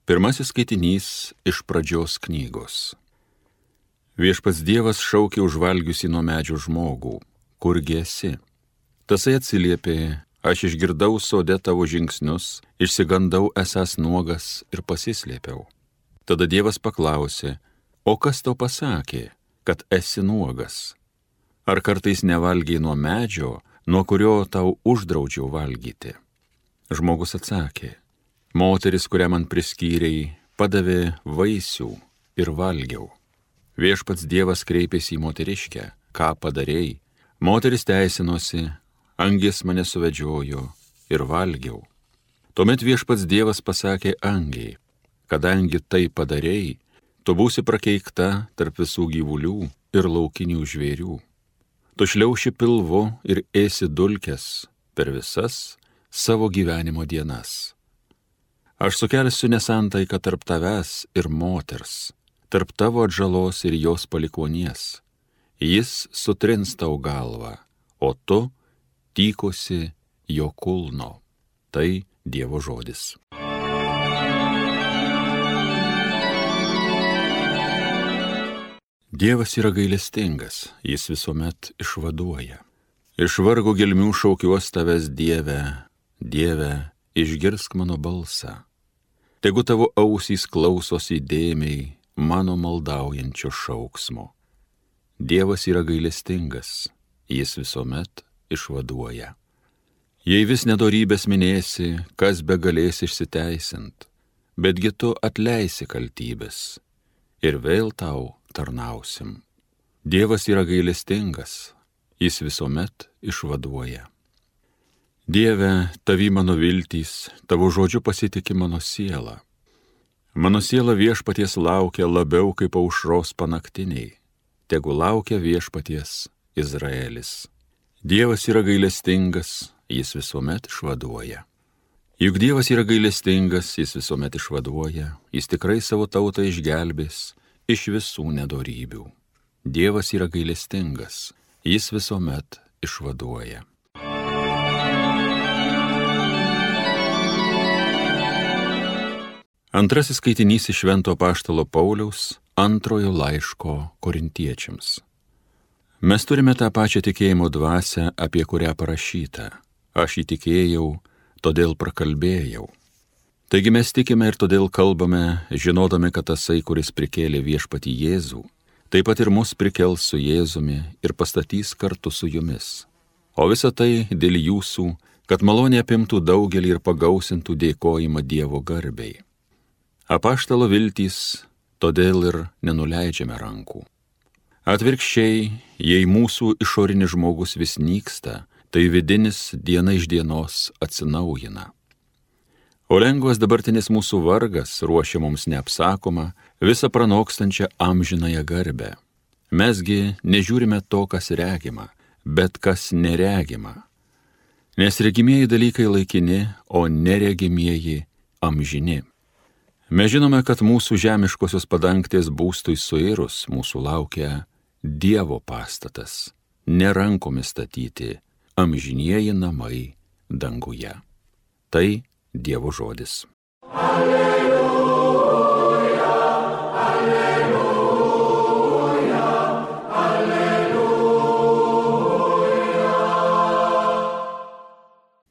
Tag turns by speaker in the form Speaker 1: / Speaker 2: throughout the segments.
Speaker 1: Pirmasis skaitinys iš Pradžios knygos. Viešpats Dievas šaukė užvalgiusi nuo medžio žmogų, kurgi esi? Tasai atsiliepė, aš išgirdau sode tavo žingsnius, išsigandau esąs nuogas ir pasislėpiau. Tada Dievas paklausė, o kas tau pasakė, kad esi nuogas? Ar kartais nevalgiai nuo medžio, nuo kurio tau uždraudžiau valgyti? Žmogus atsakė, moteris, kurią man priskyrei, padavė vaisių ir valgiau. Viešpats Dievas kreipėsi į moteriškę, ką padarei? Moteris teisinosi, angis mane suvedžiojo ir valgiau. Tuomet Viešpats Dievas pasakė angiai, kadangi tai padarei, tu būsi prakeikta tarp visų gyvulių ir laukinių žvėrių. Tu šliauši pilvu ir ėsi dulkes per visas savo gyvenimo dienas. Aš sukelsiu nesantaiką tarp tavęs ir moters, tarp tavo atžalos ir jos palikonies. Jis sutrins tau galvą, o tu tykosi jo kulno. Tai Dievo žodis. Dievas yra gailestingas, jis visuomet išvaduoja. Iš vargo gelmių šaukiuos tavęs, Dieve, Dieve, išgirsk mano balsą. Tegu tavo ausys klausosi įdėmiai mano maldaujančio šauksmo. Dievas yra gailestingas, jis visuomet išvaduoja. Jei vis nedorybės minėsi, kas be galės išsiteisint, betgi tu atleisi kaltybės ir vėl tau tarnausim. Dievas yra gailestingas, jis visuomet išvaduoja. Dieve, tavi mano viltys, tavo žodžiu pasitiki mano siela. Mano siela Viešpaties laukia labiau kaip aušros panaktiniai. Tegu laukia Viešpaties Izraelis. Dievas yra gailestingas, jis visuomet išvaduoja. Juk Dievas yra gailestingas, jis visuomet išvaduoja, jis tikrai savo tautą išgelbės iš visų nedorybių. Dievas yra gailestingas, jis visuomet išvaduoja. Antrasis skaitinys iš Švento apaštalo Pauliaus antrojo laiško korintiečiams. Mes turime tą pačią tikėjimo dvasią, apie kurią parašyta. Aš įtikėjau, todėl prakalbėjau. Taigi mes tikime ir todėl kalbame, žinodami, kad tasai, kuris prikėlė Viešpatį Jėzų, taip pat ir mus prikels su Jėzumi ir pastatys kartu su jumis. O visa tai dėl jūsų, kad malonė apimtų daugelį ir pagausintų dėkojimą Dievo garbei. Apaštalo viltys, todėl ir nenuleidžiame rankų. Atvirkščiai, jei mūsų išorinis žmogus vis nyksta, tai vidinis diena iš dienos atsinaujina. O lengvas dabartinis mūsų vargas ruošia mums neapsakomą, visą pranokstančią amžinąją garbę. Mesgi nežiūrime to, kas regima, bet kas neregima. Nes regimieji dalykai laikini, o neregimieji amžini. Mes žinome, kad mūsų žemiškosios padangtės būstui suirus mūsų laukia Dievo pastatas, ne rankomis statyti, amžinieji namai danguje. Tai Dievo žodis. Alleluja, alleluja, alleluja.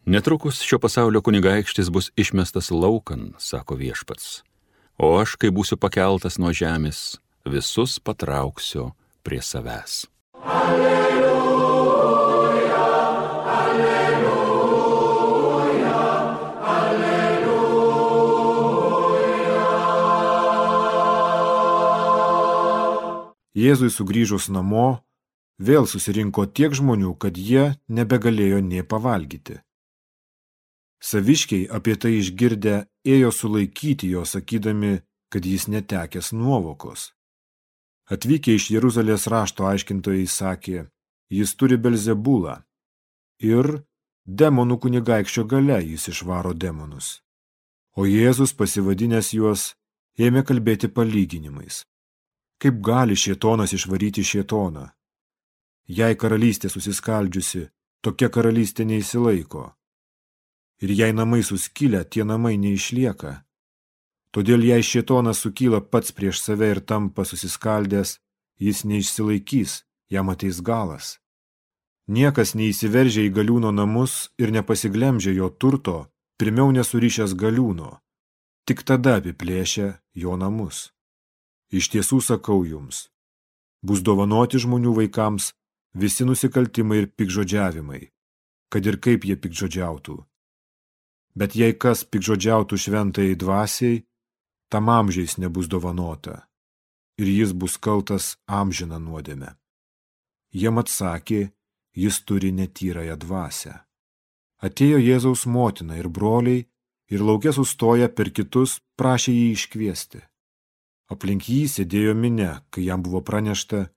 Speaker 1: Netrukus šio pasaulio kunigaikštis bus išmestas laukan, sako Viešpats. O aš, kai būsiu pakeltas nuo žemės, visus patrauksiu prie savęs. Alleluja, alleluja, alleluja.
Speaker 2: Jėzui sugrįžus namo, vėl susirinko tiek žmonių, kad jie nebegalėjo nė pavalgyti. Saviškiai apie tai išgirdę ėjo sulaikyti jo, sakydami, kad jis netekęs nuovokos. Atvykę iš Jeruzalės rašto aiškintojai sakė, jis turi Belzebulą ir demonų kunigaikščio galia jis išvaro demonus. O Jėzus, pasivadinęs juos, ėmė kalbėti palyginimais. Kaip gali šėtonas išvaryti šėtoną? Jei karalystė susiskaldžiusi, tokia karalystė neįsilaiko. Ir jei namai suskilę, tie namai neišlieka. Todėl jei šėtonas sukyla pats prieš save ir tampa susiskaldęs, jis neišsilaikys, jam ateis galas. Niekas neįsiveržia į galiūno namus ir nepasiglemžia jo turto, pirmiau nesurišęs galiūno, tik tada apiplėšia jo namus. Iš tiesų sakau jums, bus dovanoti žmonių vaikams visi nusikaltimai ir piktžodžiavimai, kad ir kaip jie piktžodžiautų. Bet jei kas piktžodžiautų šventajai dvasiai, tam amžiais nebus dovanota, ir jis bus kaltas amžiną nuodėmę. Jiem atsakė, jis turi netyrąją dvasią. Atėjo Jėzaus motina ir broliai, ir lauke sustoję per kitus prašė jį iškviesti. Aplink jį sėdėjo minia, kai jam buvo pranešta,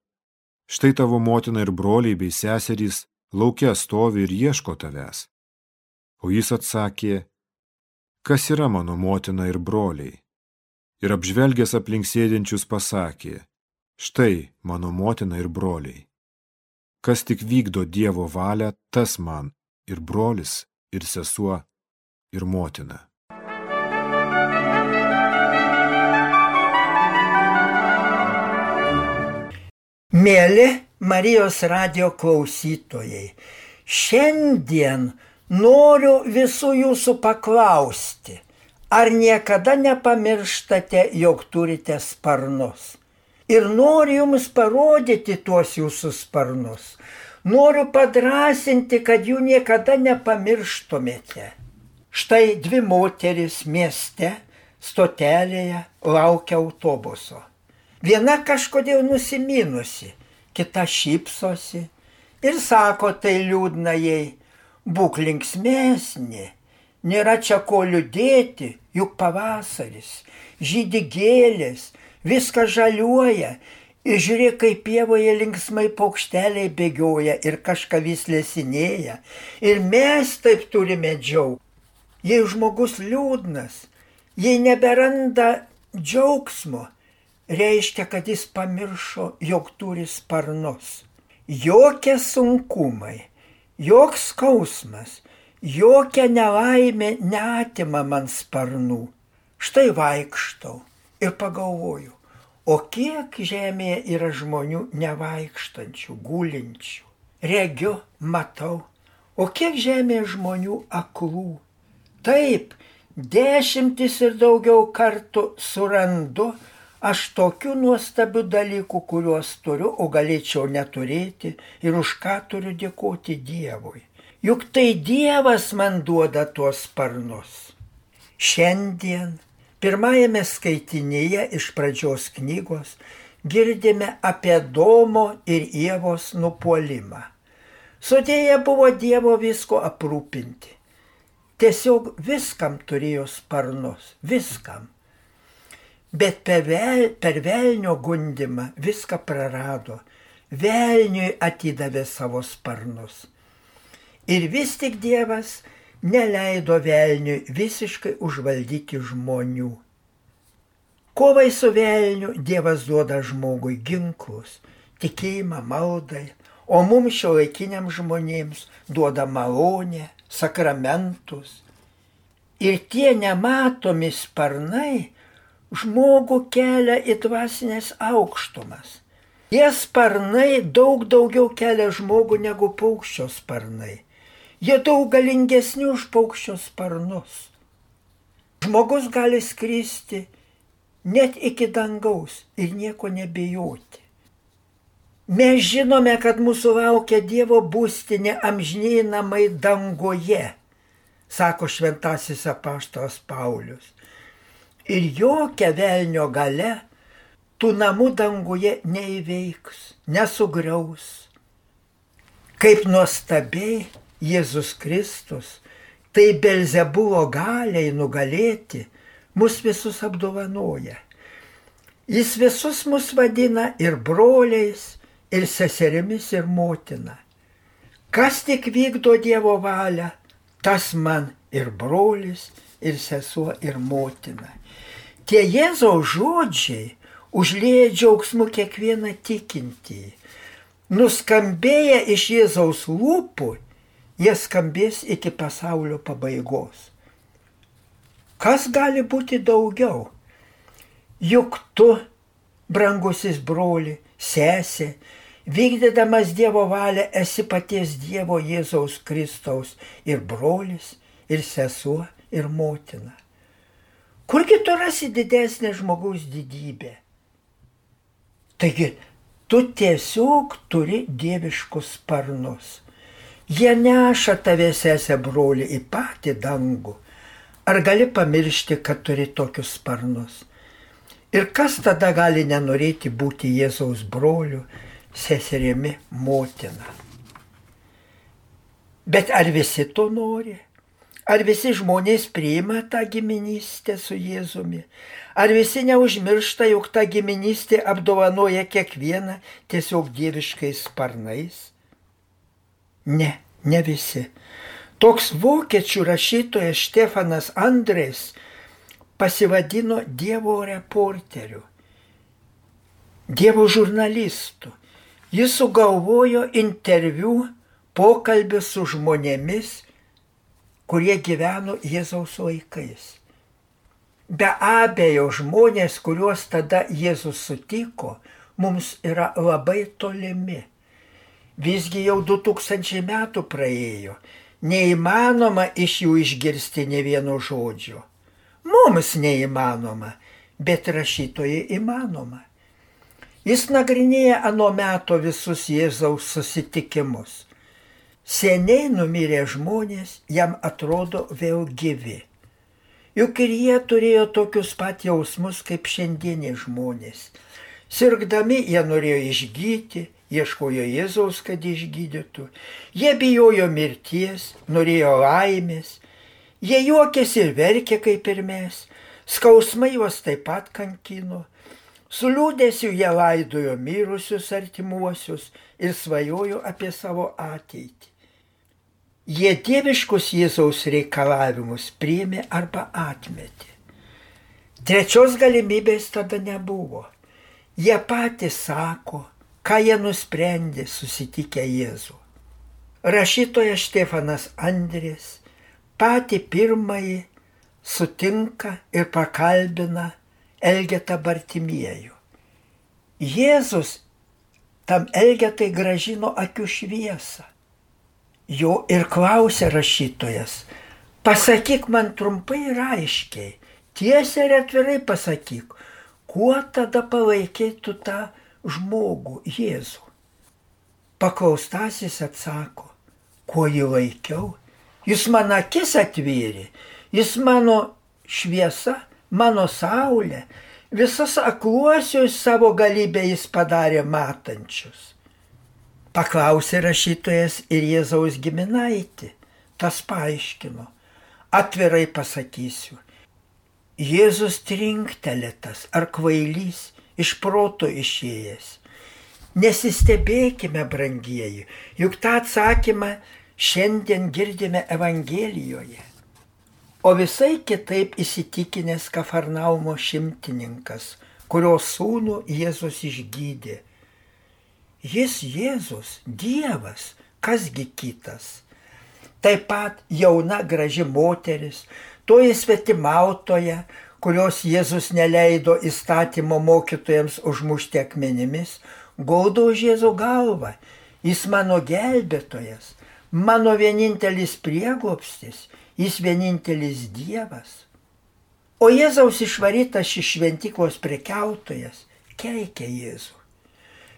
Speaker 2: štai tavo motina ir broliai bei seserys lauke stovi ir ieško tavęs. O jis atsakė, kas yra mano motina ir broliai? Ir apžvelgęs aplink sėdinčius pasakė, štai mano motina ir broliai. Kas tik vykdo Dievo valią, tas man ir brolis, ir sesuo, ir motina.
Speaker 3: Mėly Marijos radijo klausytojai, šiandien noriu visų jūsų paklausti, ar niekada nepamirštate, jog turite sparnus? Ir noriu jums parodyti tuos jūsų sparnus. Noriu padrąsinti, kad jų niekada nepamirštumėte. Štai dvi moterys mieste, stotelėje laukia autobuso. Viena kažkodėl nusiminusi, kita šypsosi ir sako tai liūdna jai, būk linksmesnė, nėra čia ko liūdėti, juk pavasaris, žydi gėlės, viskas žaliuoja, ir žiūrėk, kaip pievoje linksmai paukšteliai bėgioja ir kažką vis lesinėja, ir mes taip turime džiaugti. Jei žmogus liūdnas, jei neberanda džiaugsmo, reiškia, kad jis pamiršo, jog turi sparnus. Jokie sunkumai, joks skausmas, jokia nelaimė neatima man sparnų. Štai vaikštau ir pagalvoju, o kiek žemėje yra žmonių nevaikštančių, gulinčių. Regiu, matau, o kiek žemėje žmonių aklų. Taip, 10 ir daugiau kartų surandu aš tokių nuostabių dalykų, kuriuos turiu, o galėčiau neturėti ir už ką turiu dėkoti Dievui. Juk tai Dievas man duoda tuos sparnus. Šiandien pirmajame skaitinyje iš pradžios knygos girdime apie Adomo ir Ievos nupuolimą. Sodėje buvo Dievo visko aprūpinti. Tiesiog viskam turėjo sparnus, viskam. Bet per velnio gundymą viską prarado. Velniui atidavė savo sparnus. Ir vis tik Dievas neleido velniui visiškai užvaldyti žmonių. Kovai su velniu Dievas duoda žmogui ginklus, tikėjimą, maldai, o mums šiuolaikiniams žmonėms duoda malonę, sakramentus. Ir tie nematomi sparnai žmogų kelia į dvasinės aukštumas. Tie sparnai daug daugiau kelia žmogų negu paukščio sparnai. Jie daug galingesni už paukščio sparnus. Žmogus gali skristi net iki dangaus ir nieko nebijoti. Mes žinome, kad mūsų laukia Dievo būstinė amžiniai namai danguje, sako šventasis apaštalas Paulius. Ir jokia velnio galia tų namų danguje neįveiks, nesugriaus. Kaip nuostabiai Jėzus Kristus, tai Belzebulo galiai nugalėti, mus visus apdovanoja. Jis visus mus vadina ir broliais, ir seserimis, ir motina. Kas tik vykdo Dievo valią, tas man ir brolis, ir sesuo, ir motina. Tie Jėzaus žodžiai užlieja džiaugsmu kiekvieną tikintįjį. Nuskambėję iš Jėzaus lūpų, jie skambės iki pasaulio pabaigos. Kas gali būti daugiau? Juk tu, brangusis broli, sesė, vykdydamas Dievo valią esi paties Dievo Jėzaus Kristaus ir brolis, ir sesuo, ir motina. Kurgi tu rasi didesnę žmogaus didybę? Taigi, tu tiesiog turi dieviškus sparnus. Jie neša tave, sesė, broli, į patį dangų. Ar gali pamiršti, kad turi tokius sparnus? Ir kas tada gali nenorėti būti Jėzaus broliu, seserimi, motina? Bet ar visi to nori? Ar visi žmonės priima tą giminystę su Jėzumi? Ar visi neužmiršta, jog ta giminystė apdovanoja kiekvieną tiesiog dieviškais sparnais? Ne, ne visi. Toks vokiečių rašytojas Štefanas Andrės pasivadino Dievo reporteriu, Dievo žurnalistu. Jis sugalvojo interviu, pokalbį su žmonėmis, kurie gyveno Jėzaus laikais. Be abejo, žmonės, kuriuos tada Jėzus sutiko, mums yra labai tolimi. Visgi jau 2000 metų praėjo, neįmanoma iš jų išgirsti nė vieno žodžio. Mums neįmanoma, bet rašytojai įmanoma. Jis nagrinėja ano meto visus Jėzaus susitikimus. Seniai numirę žmonės jam atrodo vėl gyvi. Juk ir jie turėjo tokius pat jausmus kaip šiandieniai žmonės. Sirgdami jie norėjo išgyti, ieškojo Jėzaus, kad išgydytų. Jie bijojo mirties, norėjo laimės. Jie juokėsi ir verkė kaip ir mes. Skausmai juos taip pat kankino. Su liūdesiu jie laidojo mirusius artimuosius ir svajojo apie savo ateitį. Jie dieviškus Jėzaus reikalavimus priėmė arba atmetė. Trečios galimybės tada nebuvo. Jie patys sako, ką jie nusprendė susitikę Jėzų. Rašytojas Štefanas Andrės patį pirmąjį sutinka ir pakalbina Elgetą Bartimiejų. Jėzus tam Elgetai grąžino akių šviesą. Jo ir klausė rašytojas, pasakyk man trumpai ir aiškiai, tiesiai ir atvirai pasakyk, kuo tada palaikėtų tą žmogų, Jėzų. Paklaustasis atsako, kuo jį laikiau, jis man akis atvėrė, jis mano šviesa, mano saulė, visus akluosius savo galybę jis padarė matančius. Paklausė rašytojas ir Jėzaus giminaitį, tas paaiškino, atvirai pasakysiu, Jėzus trinktelėtas ar kvailys, iš proto išėjęs. Nesistebėkime, brangieji, juk tą atsakymą šiandien girdime Evangelijoje. O visai kitaip įsitikinęs Kafarnaumo šimtininkas, kurio sūnų Jėzus išgydė. Jis Jėzus, Dievas, kasgi kitas. Taip pat jauna graži moteris, toji svetimautoja, kurios Jėzus neleido įstatymo mokytojams užmušti akmenimis, gaudo už Jėzų galvą. Jis mano gelbėtojas, mano vienintelis prieglobstis, jis vienintelis Dievas. O Jėzaus išvarytas iš šventyklos prekiautojas keikė Jėzų.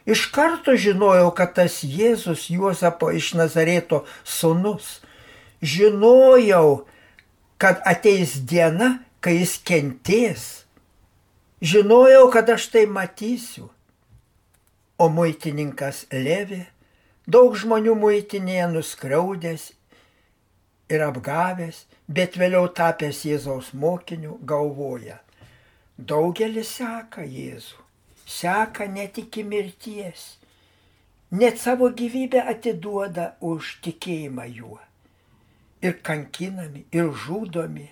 Speaker 3: Iš karto žinojau, kad tas Jėzus Juozapo iš Nazareto sūnus. Žinojau, kad ateis diena, kai jis kentės. Žinojau, kad aš tai matysiu. O muitininkas Levi, daug žmonių muitinėje nuskriaudęs ir apgavęs, bet vėliau tapęs Jėzaus mokiniu, galvoja. Daugelis seka Jėzų. Seka net iki mirties, net savo gyvybę atiduoda už tikėjimą juo. Ir kankinami, ir žudomi,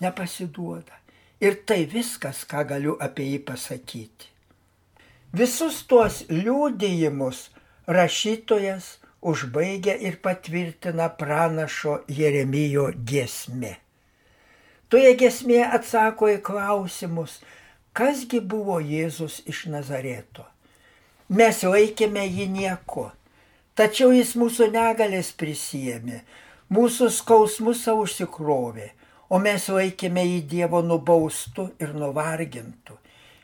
Speaker 3: nepasiduoda. Ir tai viskas, ką galiu apie jį pasakyti. Visus tuos liudijimus rašytojas užbaigia ir patvirtina pranašo Jeremijo giesmė. Toje giesmėje atsako į klausimus, Kasgi buvo Jėzus iš Nazareto? Mes laikėme jį nieko, tačiau jis mūsų negalės prisijėmė, mūsų skausmus savo užsikrovė, o mes laikėme jį Dievo nubaustu ir nuvargintu.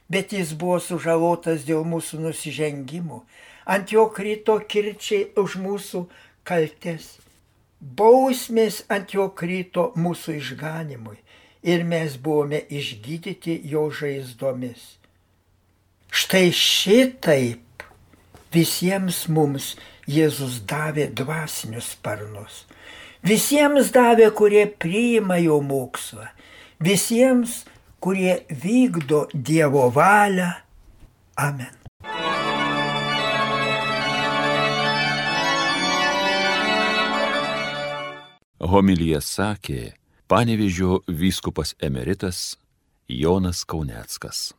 Speaker 3: Bet jis buvo sužalotas dėl mūsų nusižengimų, ant jo krito kirčiai už mūsų kaltes. Bausmės ant jo krito mūsų išganimui ir mes buvome išgydyti jo žaizdomis. Štai šitaip visiems mums Jėzus davė dvasinius sparnus. Visiems davė, kurie priima jo mokslą. Visiems, kurie vykdo Dievo valią. Amen.
Speaker 1: Homiliją sakė Panevėžio vyskupas emeritas Jonas Kauneckas.